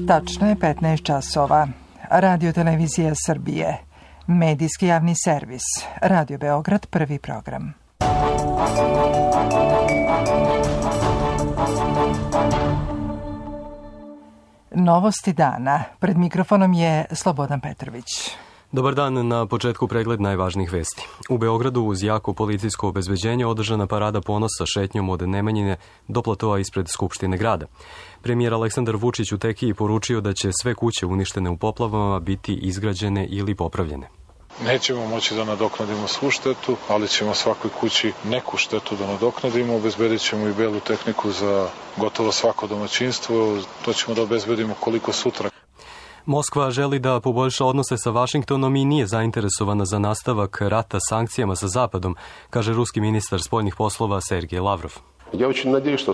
Tačno je 15 časova. Radio Televizija Srbije. Medijski javni servis. Radio Beograd, prvi program. Novosti dana. Pred mikrofonom je Slobodan Petrović. Dobar dan, na početku pregled najvažnijih vesti. U Beogradu uz jako policijsko obezbeđenje održana parada ponosa šetnjom od Nemanjine do platoa ispred Skupštine grada. Premijer Aleksandar Vučić u Tekiji poručio da će sve kuće uništene u poplavama biti izgrađene ili popravljene. Nećemo moći da nadoknadimo svu štetu, ali ćemo svakoj kući neku štetu da nadoknadimo. Obezbedit ćemo i belu tehniku za gotovo svako domaćinstvo. To ćemo da obezbedimo koliko sutra. Moskva želi da poboljša odnose sa Vašingtonom i nije zainteresovana za nastavak rata sankcijama sa Zapadom, kaže ruski ministar spoljnih poslova Sergej Lavrov.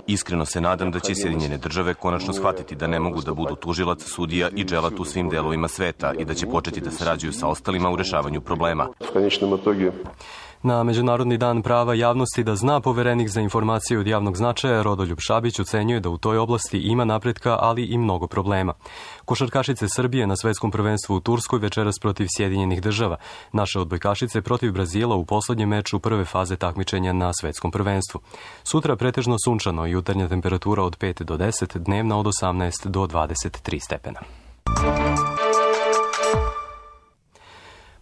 Iskreno se nadam da će Sjedinjene države konačno shvatiti da ne mogu da budu tužilac, sudija i dželat u svim delovima sveta i da će početi da sarađuju sa ostalima u rešavanju problema. Na Međunarodni dan prava javnosti da zna poverenik za informacije od javnog značaja Rodoljub Šabić ocenjuje da u toj oblasti ima napretka, ali i mnogo problema. Košarkašice Srbije na svetskom prvenstvu u Turskoj večeras protiv Sjedinjenih država. Naše odbojkašice protiv Brazila u poslednjem meču prve faze takmičenja na svetskom prvenstvu. Sutra pretežno sunčano, jutarnja temperatura od 5 do 10, dnevna od 18 do 23 stepena.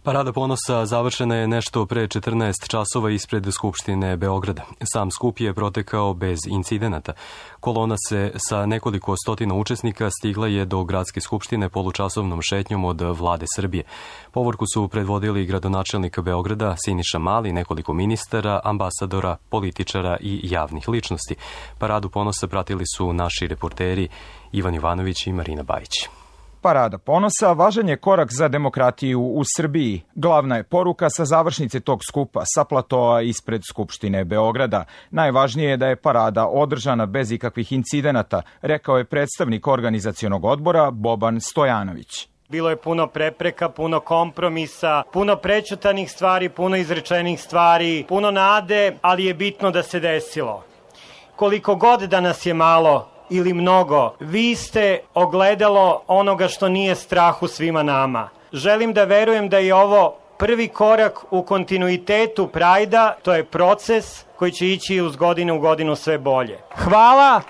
Parada ponosa završena je nešto pre 14 časova ispred Skupštine Beograda. Sam skup je protekao bez incidenata. Kolona se sa nekoliko stotina učesnika stigla je do Gradske skupštine polučasovnom šetnjom od Vlade Srbije. Povorku su predvodili gradonačelnik Beograda Siniša Mali, nekoliko ministara, ambasadora, političara i javnih ličnosti. Paradu ponosa pratili su naši reporteri Ivan Jovanović i Marina Bajić. Parada ponosa važan je korak za demokratiju u Srbiji. Glavna je poruka sa završnice tog skupa sa platoa ispred Skupštine Beograda. Najvažnije je da je parada održana bez ikakvih incidenata, rekao je predstavnik organizacionog odbora Boban Stojanović. Bilo je puno prepreka, puno kompromisa, puno prećutanih stvari, puno izrečenih stvari, puno nade, ali je bitno da se desilo. Koliko god da nas je malo ili mnogo, vi ste ogledalo onoga što nije strah u svima nama. Želim da verujem da je ovo prvi korak u kontinuitetu Prajda, to je proces koji će ići uz godinu u godinu sve bolje. Hvala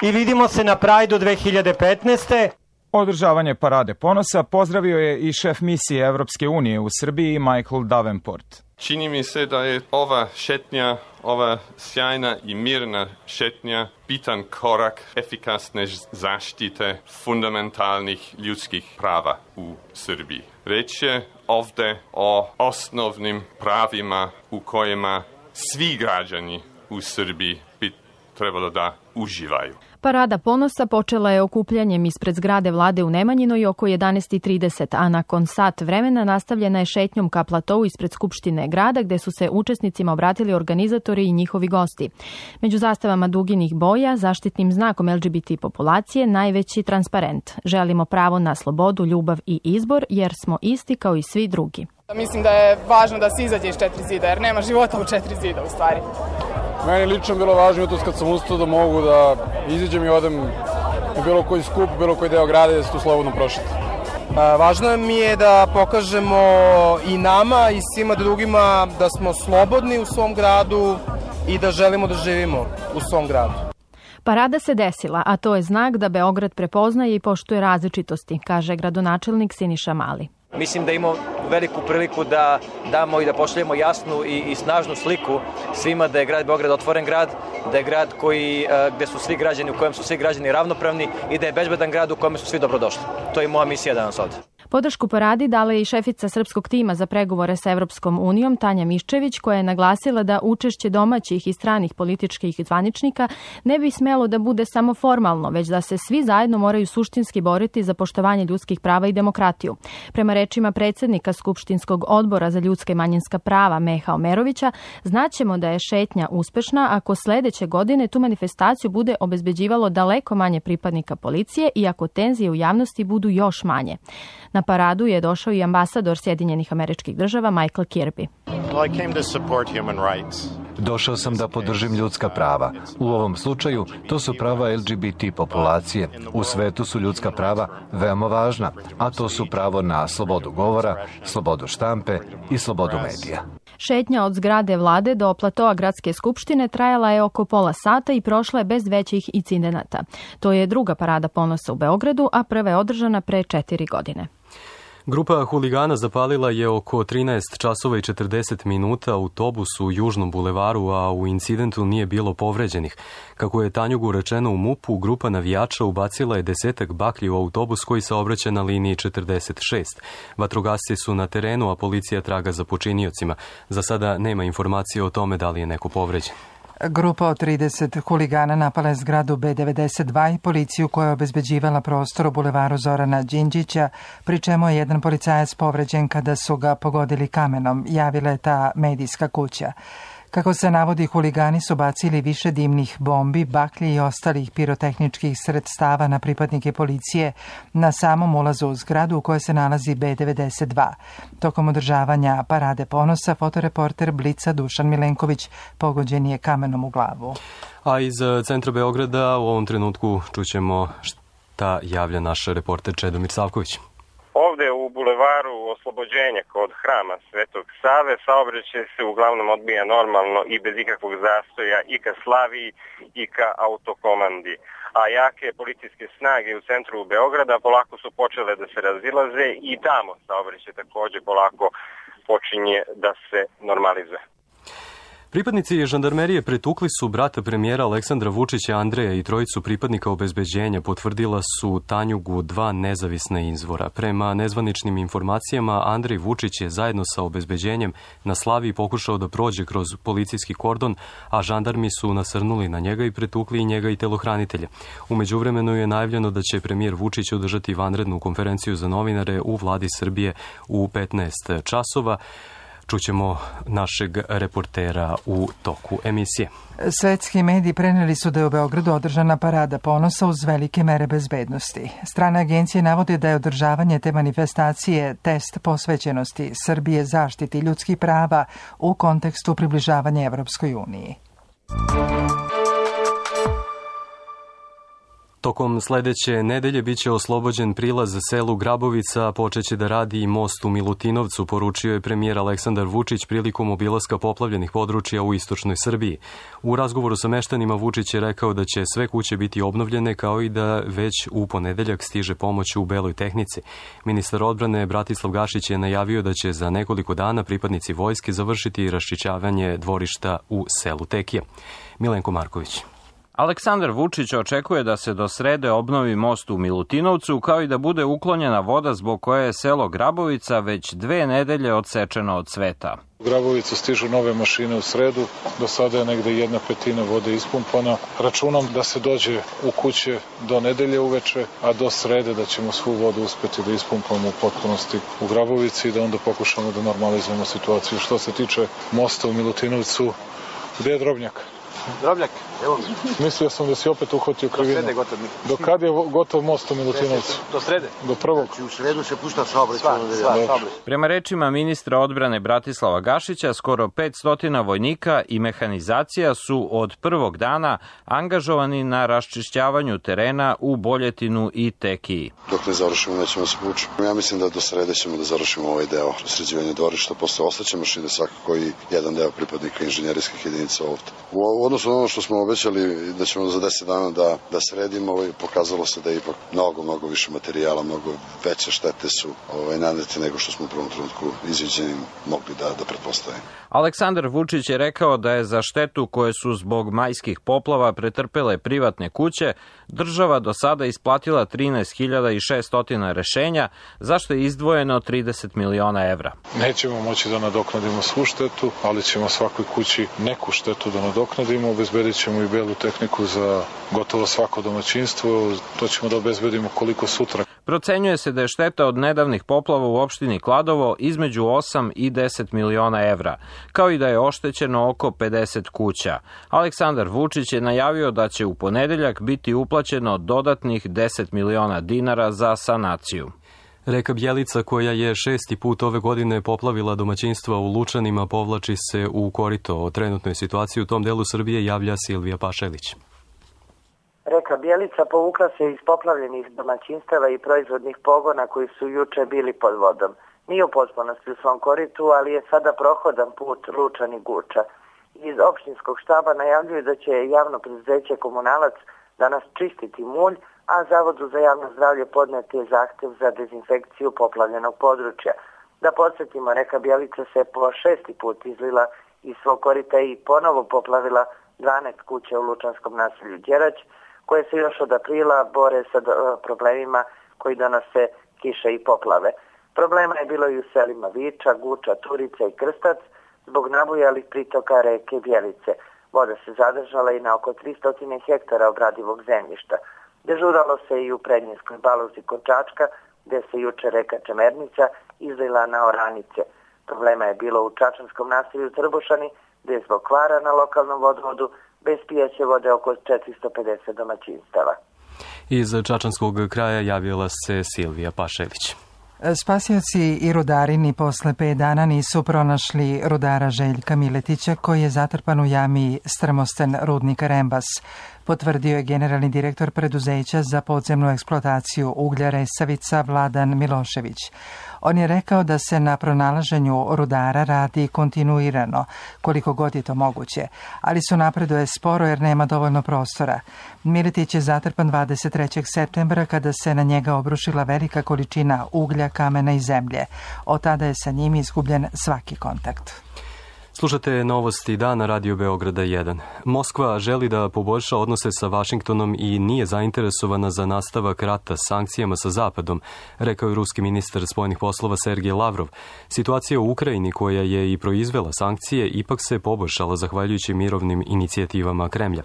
i vidimo se na Prajdu 2015. Održavanje parade ponosa pozdravio je i šef misije Evropske unije u Srbiji Michael Davenport. Čini mi se da je ova šetnja, ova sjajna i mirna šetnja bitan korak efikasne zaštite fundamentalnih ljudskih prava u Srbiji. Reč je ovde o osnovnim pravima u kojima svi građani u Srbiji bi trebalo da uživaju. Parada ponosa počela je okupljanjem ispred zgrade vlade u Nemanjinoj oko 11:30, a nakon sat vremena nastavljena je šetnjom ka platou ispred Skupštine grada, gde su se učesnicima obratili organizatori i njihovi gosti. Među zastavama duginih boja, zaštitnim znakom LGBT populacije, najveći transparent. Želimo pravo na slobodu, ljubav i izbor, jer smo isti kao i svi drugi. Mislim da je važno da se izađe iz 4 zida, jer nema života u 4 zida u stvari. Meni lično bilo važno jutros kad sam ustao da mogu da izađem i odem u bilo koji skup, bilo koji deo grada i da se tu slobodno prošete. Važno mi je da pokažemo i nama i svima drugima da smo slobodni u svom gradu i da želimo da živimo u svom gradu. Parada se desila, a to je znak da Beograd prepoznaje i poštuje različitosti, kaže gradonačelnik Siniša Mali. Mislim da imamo veliku priliku da damo i da pošaljemo jasnu i snažnu sliku svima da je grad Beograd otvoren grad, da je grad gde su svi građani, u kojem su svi građani ravnopravni i da je bezbedan grad u kojem su svi dobrodošli. To je moja misija danas ovde. Podršku paradi dala je i šefica srpskog tima za pregovore sa Evropskom unijom Tanja Miščević, koja je naglasila da učešće domaćih i stranih političkih zvaničnika ne bi smelo da bude samo formalno, već da se svi zajedno moraju suštinski boriti za poštovanje ljudskih prava i demokratiju. Prema rečima predsednika Skupštinskog odbora za ljudska i manjinska prava Meha Omerovića, znaćemo da je šetnja uspešna ako sledeće godine tu manifestaciju bude obezbeđivalo daleko manje pripadnika policije i ako tenzije u javnosti budu još manje. Na paradu je došao i ambasador Sjedinjenih Američkih Država Michael Kirby. Došao sam da podržim ljudska prava. U ovom slučaju to su prava LGBT populacije. U svetu su ljudska prava veoma važna, a to su pravo na slobodu govora, slobodu štampe i slobodu medija. Šetnja od zgrade vlade do platoa gradske skupštine trajala je oko pola sata i prošla je bez većih incidenata. To je druga parada ponosa u Beogradu, a prva je održana pre 4 godine. Grupa huligana zapalila je oko 13 časova i 40 minuta autobus u Južnom bulevaru, a u incidentu nije bilo povređenih. Kako je Tanjugu rečeno u MUP-u, grupa navijača ubacila je 10 baklji u autobus koji saobraća na liniji 46. Vatrogasci su na terenu, a policija traga za počiniocima. Za sada nema informacije o tome da li je neko povređen. Grupa od 30 huligana napala je zgradu B92 i policiju koja je obezbeđivala prostor u bulevaru Zorana Đinđića, pri čemu je jedan policajac povređen kada su ga pogodili kamenom, javila je ta medijska kuća. Kako se navodi, huligani su bacili više dimnih bombi, baklji i ostalih pirotehničkih sredstava na pripadnike policije na samom ulazu u zgradu u kojoj se nalazi B92. Tokom održavanja parade ponosa, fotoreporter Blica Dušan Milenković pogođen je kamenom u glavu. A iz centra Beograda u ovom trenutku čućemo šta javlja naš reporter Čedomir Savković. Ovde u bulevaru Oslobođenja kod hrama Svetog Save saobraćaj se uglavnom odbija normalno i bez ikakvog zastoja i ka Slaviji i ka autokomandi. A jake policijske snage u centru Beograda polako su počele da se razilaze i tamo saobraćaj takođe polako počinje da se normalizuje. Pripadnici žandarmerije pretukli su brata premijera Aleksandra Vučića Andreja i trojicu pripadnika obezbeđenja, potvrdila su Tanjugu 2 nezavisna izvora. Prema nezvaničnim informacijama, Andrej Vučić je zajedno sa obezbeđenjem na Slaviji pokušao da prođe kroz policijski kordon, a žandarmi su nasrnuli na njega i pretukli i njega i telohranitelja. U međuvremenu je najavljeno da će premijer Vučić održati vanrednu konferenciju za novinare u vladi Srbije u 15 časova. Čućemo našeg reportera u toku emisije. Svetski mediji preneli su da je u Beogradu održana parada ponosa uz velike mere bezbednosti. Strane agencije navode da je održavanje te manifestacije test posvećenosti Srbije zaštiti ljudskih prava u kontekstu približavanja Evropskoj uniji. Tokom sledeće nedelje biće oslobođen prilaz selu Grabovica, a počeće da radi i most u Milutinovcu, poručio je premijer Aleksandar Vučić prilikom obilaska poplavljenih područja u istočnoj Srbiji. U razgovoru sa meštanima Vučić je rekao da će sve kuće biti obnovljene, kao i da već u ponedeljak stiže pomoć u beloj tehnici. Ministar odbrane Bratislav Gašić je najavio da će za nekoliko dana pripadnici vojske završiti raščišćavanje dvorišta u selu Tekije. Milenko Marković. Aleksandar Vučić očekuje da se do srede obnovi most u Milutinovcu, kao i da bude uklonjena voda zbog koje je selo Grabovica već 2 nedelje odsečeno od sveta. U Grabovicu stižu nove mašine u sredu, do sada je negde 1/5 vode ispumpana. Računam da se dođe u kuće do nedelje uveče, a do srede da ćemo svu vodu uspeti da ispumpamo u potpunosti u Grabovici i da onda pokušamo da normalizujemo situaciju. Što se tiče mosta u Milutinovcu, gde je Drobnjak? Drobnjak, evo mi. Mislio sam da si opet uhvatio krivinu. Do srede gotov. Do kad je gotov most u Milutinovcu? Do srede. Do prvog. Znači u sredu se pušta saobraćaj. Prema rečima ministra odbrane Bratislava Gašića, skoro 500 vojnika i mehanizacija su od prvog dana angažovani na raščišćavanju terena u Boljetinu i Tekiji. Dok ne završimo, nećemo se povući. Ja mislim da do srede ćemo da završimo ovaj deo sređivanja dvorišta, posle ostaće mašine svakako i jedan deo pripadnika inženjerijskih jedinica ovde. U odnosu na ono što smo obećali da ćemo za 10 dana da sredimo, pokazalo se da je ipak mnogo više materijala, mnogo veće štete su nanete nego što smo u prvom trenutku izviđeni mogli da pretpostavimo. Aleksandar Vučić je rekao da je za štetu koje su zbog majskih poplava pretrpele privatne kuće država do sada isplatila 13.600 rešenja, zašto je izdvojeno 30 miliona evra. Nećemo moći da nadoknadimo svu štetu, ali ćemo svakoj kući neku štetu da nadoknadimo. Obezbedit ćemo i belu tehniku za gotovo svako domaćinstvo. To ćemo da obezbedimo koliko sutra. Procenjuje se da je šteta od nedavnih poplava u opštini Kladovo između 8 i 10 miliona evra, kao i da je oštećeno oko 50 kuća. Aleksandar Vučić je najavio da će u ponedeljak biti uplaćeno dodatnih 10 miliona dinara za sanaciju. Reka Bjelica, koja je 6. put ove godine poplavila domaćinstva u Lučanima, povlači se u korito. O trenutnoj situaciji u tom delu Srbije javlja Silvija Pašelić. Reka Bjelica povukla se iz poplavljenih domaćinstava i proizvodnih pogona koji su juče bili pod vodom. Nije u potpunosti u svom koritu, ali je sada prohodan put Lučani Guča. Iz opštinskog štaba najavljuju da će javno preduzeće Komunalac danas čistiti mulj, a Zavodu za javno zdravlje podneti je zahtev za dezinfekciju poplavljenog područja. Da podsjetimo, reka Bjelica se po 6. put izlila iz svog korita i ponovo poplavila 12 kuća u lučanskom naselju Đerać, koje se još od aprila bore sa problemima koji donose kiše i poplave. Problema je bilo i u selima Viča, Guča, Turica i Krstac zbog nabujalih pritoka reke Bjelice. Voda se zadržala i na oko 300 hektara obradivog zemljišta. Dežuralo se i u Prednjeskoj Baluzi kod Čačka, gde se juče reka Čemernica izlila na oranice. Problema je bilo u čačanskom naselju Trbušani, gde je zbog kvara na lokalnom vodovodu bez pijaće vode oko 450 domaćinstava. Iz čačanskog kraja javila se Silvija Pašelić. Spasioci i rudari ni posle 5 dana nisu pronašli rudara Željka Miletića, koji je zatrpan u jami Strmosten rudnika Rembas, potvrdio je generalni direktor preduzeća za podzemnu eksploataciju uglja Resavica Vladan Milošević. On je rekao da se na pronalaženju rudara radi kontinuirano, koliko god je to moguće, ali su napreduje sporo jer nema dovoljno prostora. Miletić je zatrpan 23. septembra kada se na njega obrušila velika količina uglja, kamena i zemlje. Od tada je sa njim izgubljen svaki kontakt. Slušate novosti dana Radio Beograda 1. Moskva želi da poboljša odnose sa Vašingtonom i nije zainteresovana za nastavak rata sankcijama sa Zapadom, rekao je ruski ministar spoljnih poslova Sergej Lavrov. Situacija u Ukrajini, koja je i proizvela sankcije, ipak se poboljšala zahvaljujući mirovnim inicijativama Kremlja.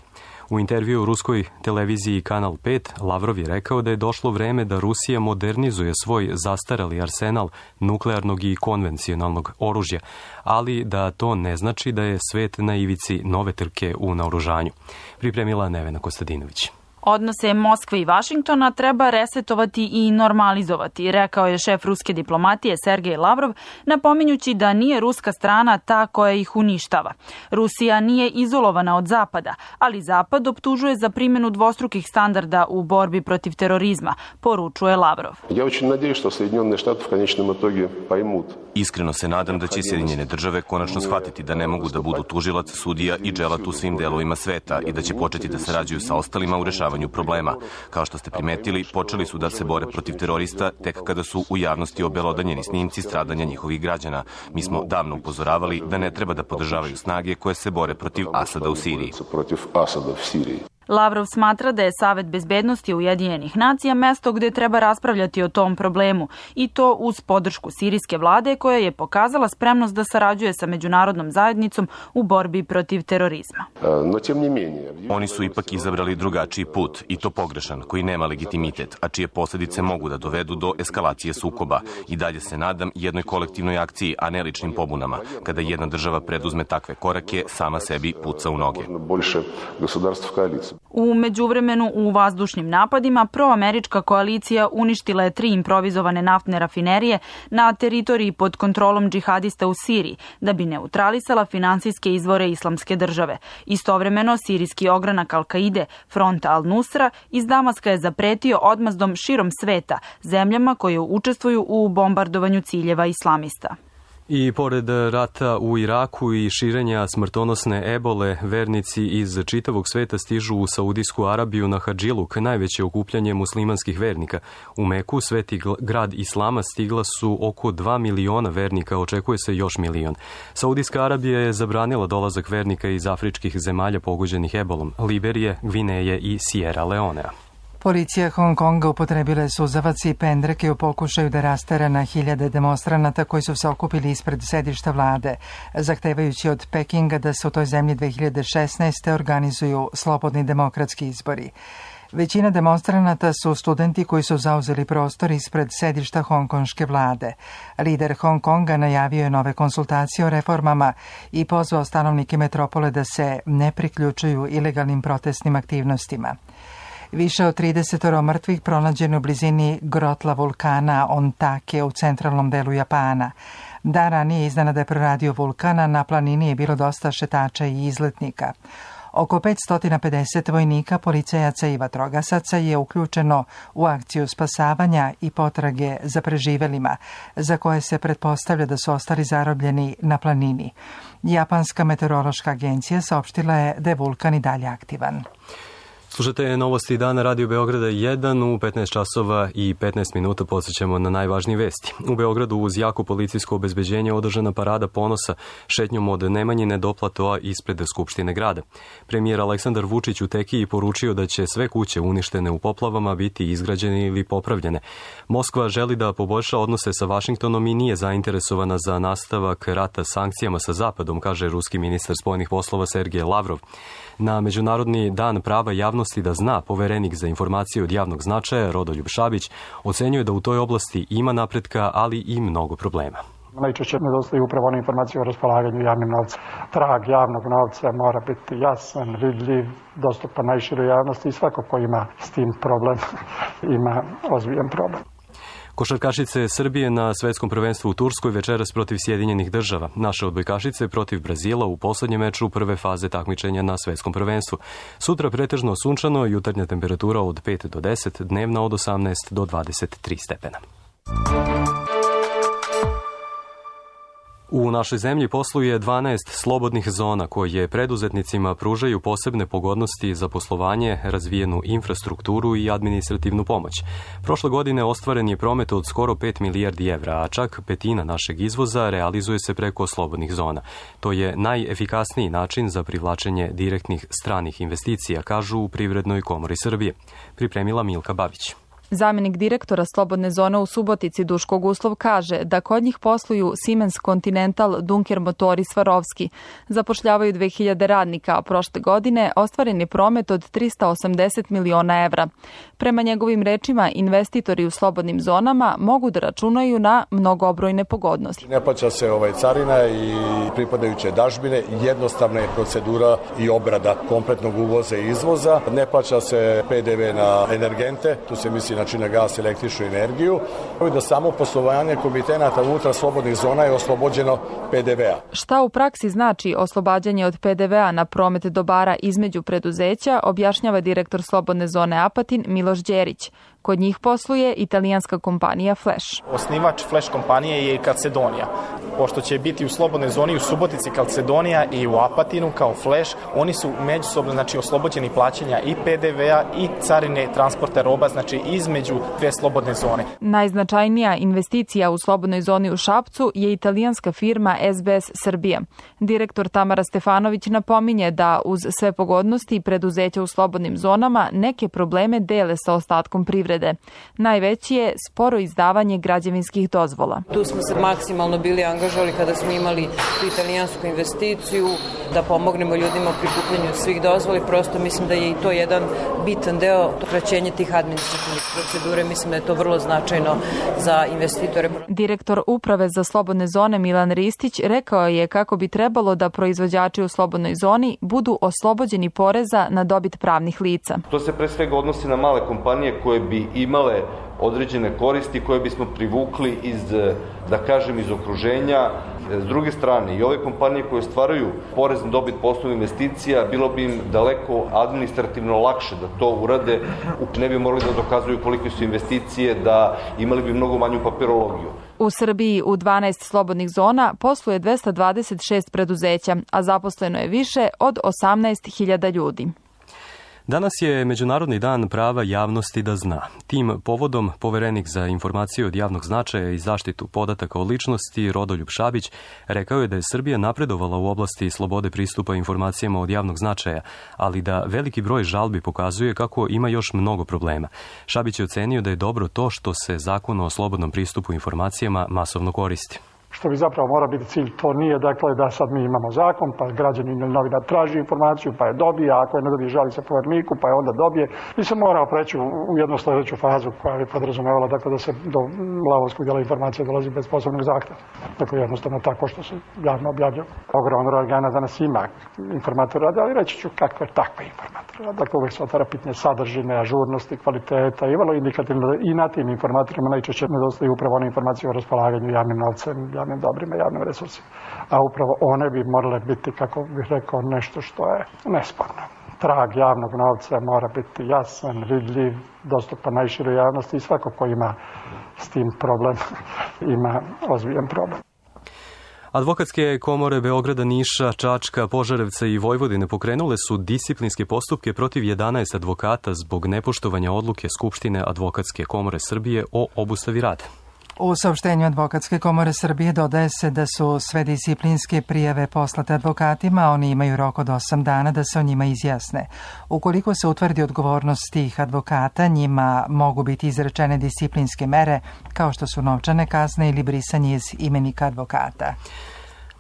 U intervju u ruskoj televiziji Kanal 5 Lavrov je rekao da je došlo vreme da Rusija modernizuje svoj zastarali arsenal nuklearnog i konvencionalnog oružja, ali da to ne znači da je svet na ivici nove trke u naoružanju. Pripremila Nevena Kostadinović. Odnose Moskve i Vašingtona treba resetovati i normalizovati, rekao je šef ruske diplomatije Sergej Lavrov, napominjući da nije ruska strana ta koja ih uništava. Rusija nije izolovana od Zapada, ali Zapad optužuje za primjenu dvostrukih standarda u borbi protiv terorizma, poručuje Lavrov. Iskreno se nadam da će Sjedinjene države konačno shvatiti da ne mogu da budu tužilac, sudija i dželat u svim delovima sveta i da će početi da sarađuju sa ostalima u rešavanju problema. Kao što ste primetili, počeli su da se bore protiv terorista tek kada su u javnosti obelodanjeni snimci stradanja njihovih građana. Mi smo davno upozoravali da ne treba da podržavaju snage koje se bore protiv Asada u Siriji. Lavrov smatra da je Savet bezbednosti Ujedinjenih nacija mesto gde treba raspravljati o tom problemu i to uz podršku sirijske vlade koja je pokazala spremnost da sarađuje sa međunarodnom zajednicom u borbi protiv terorizma. Oni su ipak izabrali drugačiji put i to pogrešan, koji nema legitimitet, a čije posljedice mogu da dovedu do eskalacije sukoba. I dalje se nadam jednoj kolektivnoj akciji, a ne ličnim pobunama. Kada jedna država preduzme takve korake, sama sebi puca u noge. U međuvremenu u vazdušnim napadima proamerička koalicija uništila je 3 improvizovane naftne rafinerije na teritoriji pod kontrolom džihadista u Siriji da bi neutralisala finansijske izvore islamske države. Istovremeno, sirijski ogranak Al-Kaide, front Al-Nusra, iz Damaska je zapretio odmazdom širom sveta zemljama koje učestvuju u bombardovanju ciljeva islamista. I pored rata u Iraku i širenja smrtonosne ebole, vernici iz čitavog sveta stižu u Saudijsku Arabiju na Hadžiluk, najveće okupljanje muslimanskih vernika. U Meku, sveti grad islama, stigla su oko 2 miliona vernika, očekuje se još milion. Saudijska Arabija je zabranila dolazak vernika iz afričkih zemalja pogođenih ebolom, Liberije, Gvineje i Sierra Leonea. Policija Hong Konga upotrebila je suzavac i pendreke u pokušaju da rastera na hiljade demonstranata koji su se okupili ispred sedišta vlade, zahtevajući od Pekinga da se u toj zemlji 2016. organizuju slobodni demokratski izbori. Većina demonstranata su studenti koji su zauzeli prostor ispred sedišta hongkonške vlade. Lider Hong Konga najavio je nove konsultacije o reformama i pozvao stanovnike metropole da se ne priključuju ilegalnim protestnim aktivnostima. Više od 30 mrtvih pronađeno u blizini grotla vulkana Ontake u centralnom delu Japana. Dan ranije iznenada je proradio vulkana, na planini je bilo dosta šetača i izletnika. Oko 550 vojnika, policajaca i vatrogasaca je uključeno u akciju spasavanja i potrage za preživelima, za koje se pretpostavlja da su ostali zarobljeni na planini. Japanska meteorološka agencija saopštila je da je vulkan i dalje aktivan. Slušajte novosti dana Radio Beograda 1 u 15 časova i 15 minuta podsjećamo na najvažnije vesti. U Beogradu uz jako policijsko obezbeđenje održana parada ponosa šetnjom od Nemanjine do platoa ispred Skupštine grada. Premijer Aleksandar Vučić u Tekiji poručio da će sve kuće uništene u poplavama biti izgrađene ili popravljene. Moskva želi da poboljša odnose sa Vašingtonom i nije zainteresovana za nastavak rata sankcijama sa Zapadom, kaže ruski ministar spoljnih poslova Sergej Lavrov. Na Međunarodni dan prava javnosti da zna, poverenik za informacije od javnog značaja Rodoljub Šabić ocenjuje da u toj oblasti ima napretka, ali i mnogo problema. Najčešće nedostaju upravo one informacije o raspolaganju javnim novcem. Trag javnog novca mora biti jasan, vidljiv, dostupan najširoj javnosti i svako ko ima s tim problem ima ozbiljan problem. Košarkašice Srbije na svetskom prvenstvu u Turskoj večeras protiv Sjedinjenih država. Naše odbojkašice protiv Brazila u poslednjem meču prve faze takmičenja na svetskom prvenstvu. Sutra pretežno sunčano, jutarnja temperatura od 5 do 10, dnevna od 18 do 23 stepena. U našoj zemlji posluje 12 slobodnih zona koje preduzetnicima pružaju posebne pogodnosti za poslovanje, razvijenu infrastrukturu i administrativnu pomoć. Prošle godine ostvaren je promet od skoro 5 milijardi evra, a čak petina našeg izvoza realizuje se preko slobodnih zona. To je najefikasniji način za privlačenje direktnih stranih investicija, kažu u Privrednoj komori Srbije. Pripremila Milka Babić. Zamjenik direktora Slobodne zone u Subotici Duško Guslov kaže da kod njih posluju Siemens Continental, Dunker Motori Svarovski. Zapošljavaju 2000 radnika, a prošle godine ostvaren je promet od 380 miliona evra. Prema njegovim rečima, investitori u slobodnim zonama mogu da računaju na mnogobrojne pogodnosti. Ne plaća se carina i pripadajuće dažbine, jednostavna je procedura i obrada kompletnog uvoza i izvoza. Ne plaća se PDV na energente, tu se misli na gas, električnu energiju, i da samo poslovanje komitenata unutar slobodnih zona je oslobođeno PDV-a. Šta u praksi znači oslobađanje od PDV-a na promet dobara između preduzeća, objašnjava direktor Slobodne zone Apatin Miloš Đerić. Kod njih posluje italijanska kompanija Flash. Osnivač Flash kompanije je Calcedonija. Pošto će biti u slobodnoj zoni u Subotici Calcedonija i u Apatinu kao Flash, oni su međusobno oslobođeni plaćanja i PDV-a i carine transporta roba, između dve slobodne zone. Najznačajnija investicija u slobodnoj zoni u Šapcu je italijanska firma SBS Srbija. Direktor Tamara Stefanović napominje da uz sve pogodnosti preduzeća u slobodnim zonama neke probleme dele sa ostatkom privrede. Najveći je sporo izdavanje građevinskih dozvola. Tu smo se maksimalno bili angažovali kada smo imali italijansku investiciju da pomognemo ljudima u prikupljanju svih dozvoli. Prosto mislim da je i to jedan bitan deo kraćenja tih administrativnih procedure. Mislim da je to vrlo značajno za investitore. Direktor Uprave za slobodne zone Milan Ristić rekao je kako bi trebalo da proizvođači u slobodnoj zoni budu oslobođeni poreza na dobit pravnih lica. To se pre svega odnosi na male kompanije koje bi imale određene koristi koje bismo privukli iz okruženja. S druge strane, i ove kompanije koje stvaraju porez na dobit po osnovu investicija, bilo bi im daleko administrativno lakše da to urade, ne bi morali da dokazuju kolike su investicije, da imali bi mnogo manju papirologiju. U Srbiji u 12 slobodnih zona posluje 226 preduzeća, a zaposleno je više od 18.000 ljudi. Danas je Međunarodni dan prava javnosti da zna. Tim povodom poverenik za informacije od javnog značaja i zaštitu podataka o ličnosti Rodoljub Šabić rekao je da je Srbija napredovala u oblasti slobode pristupa informacijama od javnog značaja, ali da veliki broj žalbi pokazuje kako ima još mnogo problema. Šabić je ocenio da je dobro to što se zakon o slobodnom pristupu informacijama masovno koristi. Što bi zapravo mora biti cilj, to nije dakle da sad mi imamo zakon, pa građanin ili novinar traži informaciju, pa je dobije, a ako je ne dobije žali se povereniku, pa je onda dobije. Mi se morao preći u jednu sljedeću fazu koja bi podrazumevala dakle, da se do lavovskog dela informacije dolazi bez posebnog zahteva. Dakle, jednostavno tako što se javno objavlja. Ogroman broj organa danas ima informator rade, ali reći ću kakve takve informator. Dakle, uvek se otvara pitanje sadržine, ažurnosti, kvaliteta i vrlo indikativno i na tim informatorima najčešće nedostaju upravo one informacije o raspolaganju javnim novcem, javnim dobrima, javnim resursima. A upravo one bi morale biti, kako bih rekao, nešto što je nesporno. Trag javnog novca mora biti jasan, vidljiv, dostupan najširoj javnosti i svako ko ima s tim problem, ima ozbiljan problem. Advokatske komore Beograda, Niša, Čačka, Požarevca i Vojvodine pokrenule su disciplinske postupke protiv 11 advokata zbog nepoštovanja odluke Skupštine Advokatske komore Srbije o obustavi rada. U saopštenju Advokatske komore Srbije dodaje se da su sve disciplinske prijave poslate advokatima, a oni imaju rok od 8 dana da se o njima izjasne. Ukoliko se utvrdi odgovornost tih advokata, njima mogu biti izrečene disciplinske mere, kao što su novčane kazne ili brisanje iz imenika advokata.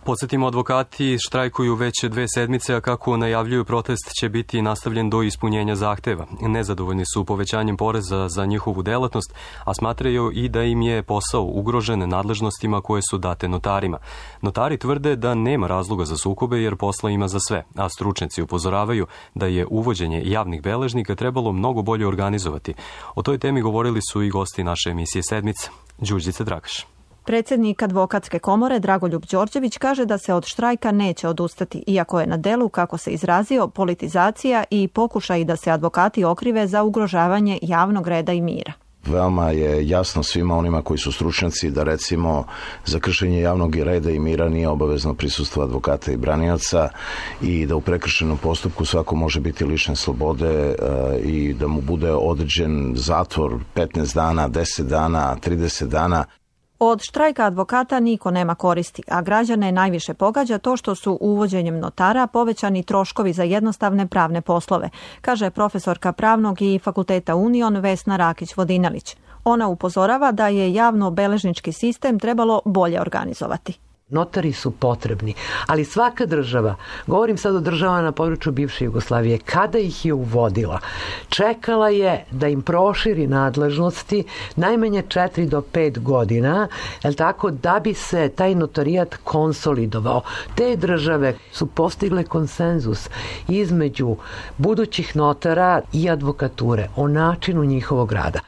Podsjetimo, advokati štrajkuju već 2 sedmice, a kako najavljuju, protest će biti nastavljen do ispunjenja zahteva. Nezadovoljni su povećanjem poreza za njihovu delatnost, a smatraju i da im je posao ugrožen nadležnostima koje su date notarima. Notari tvrde da nema razloga za sukobe jer posla ima za sve, a stručnjaci upozoravaju da je uvođenje javnih beležnika trebalo mnogo bolje organizovati. O toj temi govorili su i gosti naše emisije Sedmica. Đurđica Dragaš. Predsjednik Advokatske komore Dragoljub Đorđević kaže da se od štrajka neće odustati, iako je na delu, kako se izrazio, politizacija i pokušaj da se advokati okrive za ugrožavanje javnog reda i mira. Veoma je jasno svima onima koji su stručnjaci da recimo za kršenje javnog reda i mira nije obavezno prisustvo advokata i branioca i da u prekršenom postupku svako može biti lišen slobode i da mu bude određen zatvor 15 dana, 10 dana, 30 dana. Od štrajka advokata niko nema koristi, a građane najviše pogađa to što su uvođenjem notara povećani troškovi za jednostavne pravne poslove, kaže profesorka pravnog i fakulteta Union Vesna Rakić-Vodinelić. Ona upozorava da je javno-beležnički sistem trebalo bolje organizovati. Notari su potrebni, ali svaka država, govorim sad o državama na području bivše Jugoslavije, kada ih je uvodila, čekala je da im proširi nadležnosti najmanje 4 do 5 godina, tako, da bi se taj notarijat konsolidovao. Te države su postigle konsenzus između budućih notara i advokature o načinu njihovog rada.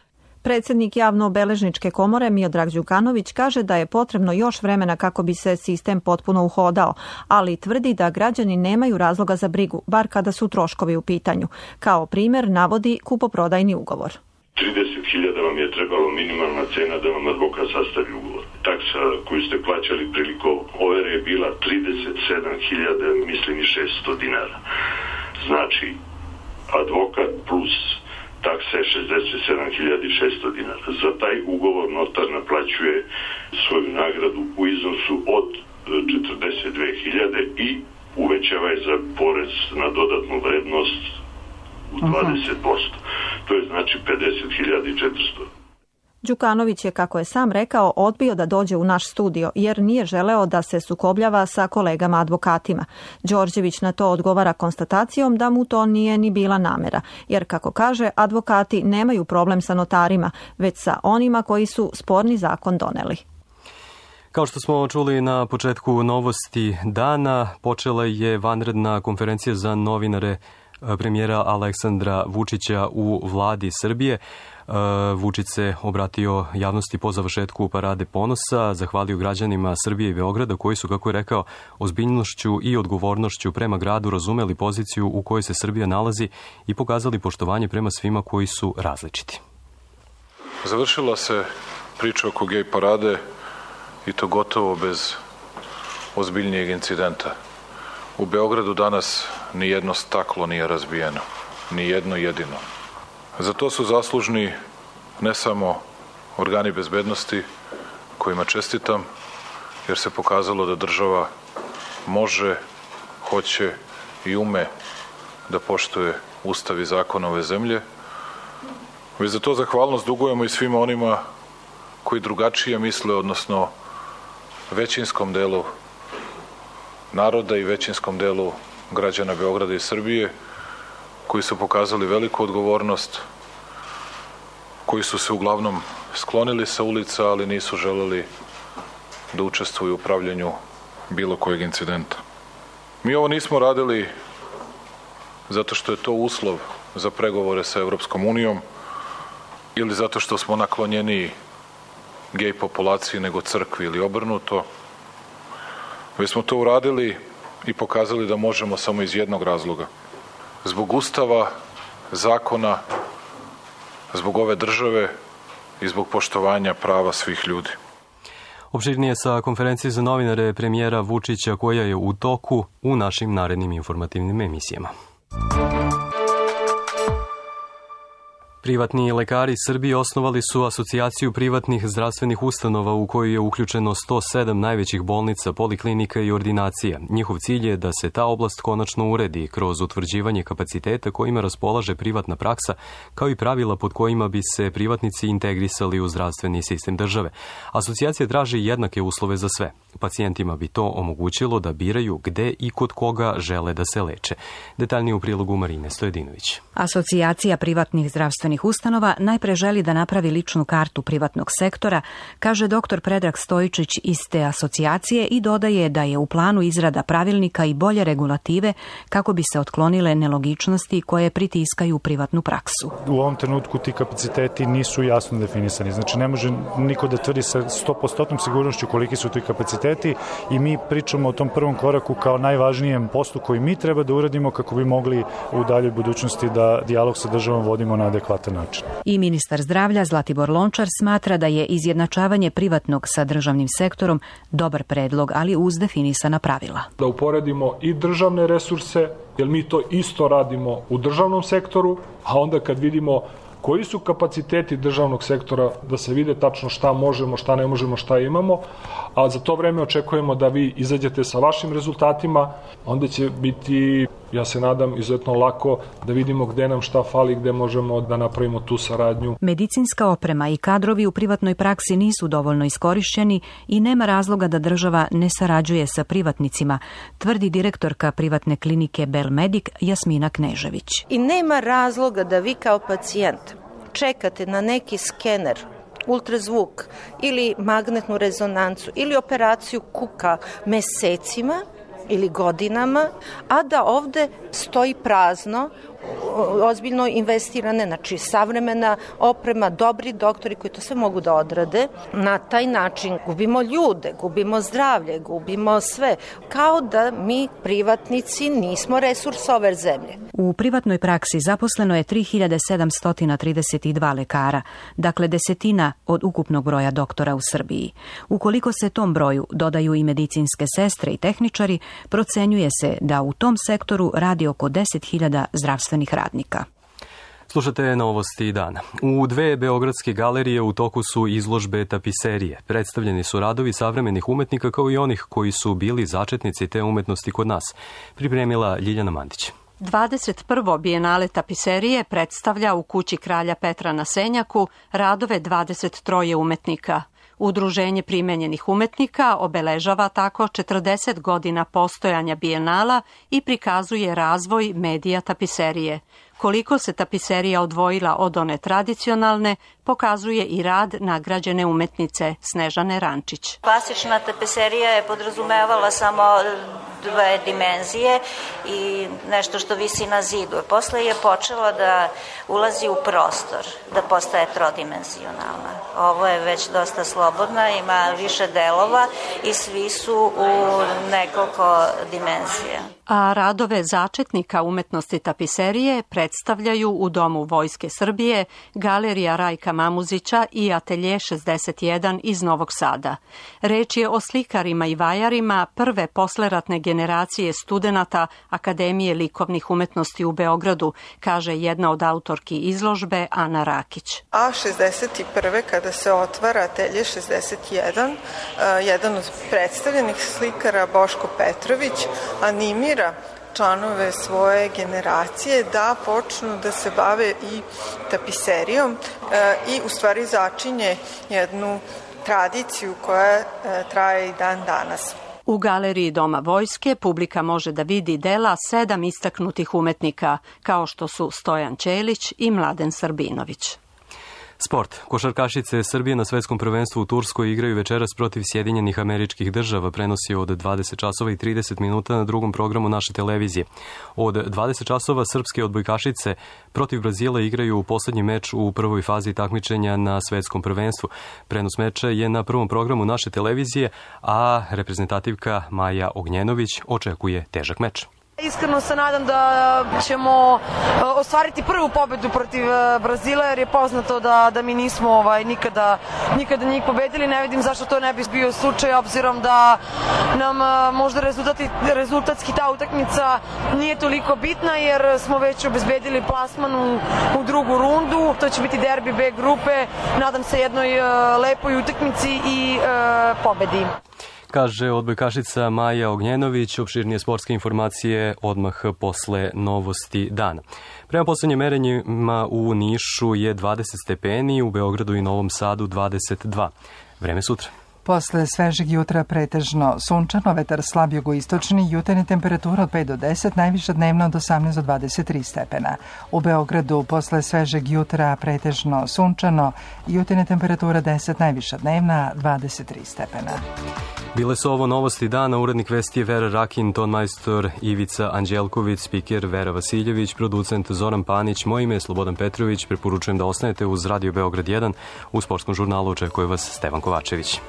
Predsjednik javno-beležničke komore Miodrag Đukanović kaže da je potrebno još vremena kako bi se sistem potpuno uhodao, ali tvrdi da građani nemaju razloga za brigu, bar kada su troškovi u pitanju. Kao primjer navodi kupoprodajni ugovor. 30.000 vam je trebalo minimalna cena da vam advokat sastavi ugovor. Taksa koju ste plaćali prilikom overe je bila 37.000, mislim i 600 dinara. Znači, advokat plus taksa je 67.600 dinara. Za taj ugovor notar naplaćuje svoju nagradu u iznosu od 42.000 i uvećava je za porez na dodatnu vrednost u 20%. To je znači 50.400. Đukanović je, kako je sam rekao, odbio da dođe u naš studio jer nije želeo da se sukobljava sa kolegama advokatima. Đorđević na to odgovara konstatacijom da mu to nije ni bila namera, jer, kako kaže, advokati nemaju problem sa notarima, već sa onima koji su sporni zakon doneli. Kao što smo čuli na početku novosti dana, počela je vanredna konferencija za novinare premijera Aleksandra Vučića u vladi Srbije. Vučić se obratio javnosti po završetku Parade ponosa, zahvalio građanima Srbije i Beograda koji su, kako je rekao, ozbiljnošću i odgovornošću prema gradu razumeli poziciju u kojoj se Srbija nalazi i pokazali poštovanje prema svima koji su različiti. Završila se priča oko gej parade i to gotovo bez ozbiljnijeg incidenta. U Beogradu danas ni jedno staklo nije razbijeno, ni jedno jedino. Za to su zaslužni ne samo organi bezbednosti, kojima čestitam, jer se pokazalo da država može, hoće i ume da poštuje ustav i zakon ove zemlje, već za to zahvalnost dugujemo i svima onima koji drugačije misle, odnosno većinskom delu naroda i većinskom delu građana Beograda i Srbije, koji su pokazali veliku odgovornost, koji su se uglavnom sklonili sa ulica, ali nisu želeli da učestvuju u upravljanju bilo kojeg incidenta. Mi ovo nismo radili zato što je to uslov za pregovore sa Evropskom unijom ili zato što smo naklonjeniji gej populaciji nego crkvi ili obrnuto. Već smo to uradili i pokazali da možemo samo iz jednog razloga. Zbog Ustava, zakona, zbog ove države i zbog poštovanja prava svih ljudi. Opširnije sa konferencije za novinare premijera Vučića koja je u toku u našim narednim informativnim emisijama. Privatni lekari Srbije osnovali su asocijaciju privatnih zdravstvenih ustanova u koju je uključeno 107 najvećih bolnica, poliklinika i ordinacija. Njihov cilj je da se ta oblast konačno uredi kroz utvrđivanje kapaciteta kojima raspolaže privatna praksa, kao i pravila pod kojima bi se privatnici integrisali u zdravstveni sistem države. Asocijacija traži jednake uslove za sve. Pacijentima bi to omogućilo da biraju gde i kod koga žele da se leče. Detaljnije u prilogu Marine Stojedinović. Asocijacija privatnih zdravstvenih ustanova najpre želi da napravi ličnu kartu privatnog sektora, kaže dr. Predrag Stojičić iz te asocijacije i dodaje da je u planu izrada pravilnika i bolje regulative kako bi se otklonile nelogičnosti koje pritiskaju privatnu praksu. U ovom trenutku ti kapaciteti nisu jasno definisani. Znači ne može niko da tvrdi sa 100% sigurnošću koliki su ti kapaciteti i mi pričamo o tom prvom koraku kao najvažnijem poslu koji mi treba da uradimo kako bi mogli u daljoj budućnosti da dijalog sa državom vodimo na adekvatan način. I ministar zdravlja Zlatibor Lončar smatra da je izjednačavanje privatnog sa državnim sektorom dobar predlog, ali uz definisana pravila. Da uporedimo i državne resurse, jer mi to isto radimo u državnom sektoru, a onda kad vidimo koji su kapaciteti državnog sektora, da se vide tačno šta možemo, šta ne možemo, šta imamo, a za to vreme očekujemo da vi izađete sa vašim rezultatima, onda će biti, ja se nadam, izuzetno lako da vidimo gde nam šta fali, gde možemo da napravimo tu saradnju. Medicinska oprema i kadrovi u privatnoj praksi nisu dovoljno iskorišćeni i nema razloga da država ne sarađuje sa privatnicima, tvrdi direktorka privatne klinike Belmedik Jasmina Knežević. I nema razloga da vi kao pacijent čekate na neki skener, ultrazvuk ili magnetnu rezonancu ili operaciju kuka mesecima ili godinama, a da ovde stoji prazno, ozbiljno investirane, znači savremena oprema, dobri doktori koji to sve mogu da odrade. Na taj način gubimo ljude, gubimo zdravlje, gubimo sve. Kao da mi privatnici nismo resurs ove zemlje. U privatnoj praksi zaposleno je 3732 lekara, dakle desetina od ukupnog broja doktora u Srbiji. Ukoliko se tom broju dodaju i medicinske sestre i tehničari, procenjuje se da u tom sektoru radi oko 10.000 zdravstvenih radnika. Slušate novosti dana. U 2 beogradske galerije u toku su izložbe tapiserije. Predstavljeni su radovi savremenih umetnika kao i onih koji su bili začetnici te umetnosti kod nas. Pripremila Ljiljana Mandić. 21. bijenale tapiserije predstavlja u kući kralja Petra na Senjaku radove 23 umetnika. Udruženje primenjenih umetnika obeležava tako 40 godina postojanja bijenala i prikazuje razvoj medija tapiserije. Koliko se tapiserija odvojila od one tradicionalne, pokazuje i rad nagrađene umetnice Snežane Rančić. Klasična tapiserija je podrazumevala samo 2 dimenzije i nešto što visi na zidu. Posle je počela da ulazi u prostor, da postaje trodimenzionalna. Ovo je već dosta slobodna, ima više delova i svi su u nekoliko dimenzija. A radove začetnika umetnosti tapiserije predstavljaju u Domu Vojske Srbije, Galerija Rajka Mamuzića i Atelje 61 iz Novog Sada. Reč je o slikarima i vajarima prve posleratne generacije studenata Akademije likovnih umetnosti u Beogradu, kaže jedna od autorki izložbe Ana Rakić. A 61. kada se otvara Atelje 61, jedan od predstavljenih slikara Boško Petrović animira članove svoje generacije da počnu da se bave i tapiserijom i u stvari začinje jednu tradiciju koja traje i dan danas. U galeriji Doma Vojske publika može da vidi dela 7 istaknutih umetnika, kao što su Stojan Ćelić i Mladen Srbinović. Sport. Košarkašice Srbije na svetskom prvenstvu u Turskoj igraju večeras protiv Sjedinjenih Američkih Država. Prenos je od 20 časova i 30 minuta na drugom programu naše televizije. Od 20 časova srpske odbojkašice protiv Brazila igraju u poslednji meč u prvoj fazi takmičenja na svetskom prvenstvu. Prenos meča je na prvom programu naše televizije, a reprezentativka Maja Ognjenović očekuje težak meč. Iskreno se nadam da ćemo ostvariti prvu pobedu protiv Brazila, jer je poznato da mi nismo nikada njih pobedili. Ne vidim zašto to ne bi bio slučaj, obzirom da nam možda rezultatski ta utakmica nije toliko bitna, jer smo već obezbedili plasman u drugu rundu. To će biti derbi B grupe. Nadam se jednoj lepoj utakmici i pobedi. Kaže odbojkašica Maja Ognjenović. Opširnije sportske informacije odmah posle novosti dana. Prema poslednjim merenjima u Nišu je 20 stepeni, u Beogradu i Novom Sadu 22. Vreme sutra. Posle svežeg jutra pretežno sunčano, vetar slab jugoistočni, jutarnja temperatura od 5 do 10, najviša dnevna od 18 do 23 stepena. U Beogradu posle svežeg jutra pretežno sunčano, jutarnja temperatura 10, najviša dnevna 23 stepena. Bile su ovo novosti dana, urednik vesti je Vera Rakin, tonmajstor Ivica Anđelković, spiker Vera Vasiljević, producent Zoran Panić, moje ime je Slobodan Petrović, preporučujem da ostanete uz Radio Beograd 1, u sportskom žurnalu očekuje vas Stevan Kovačević.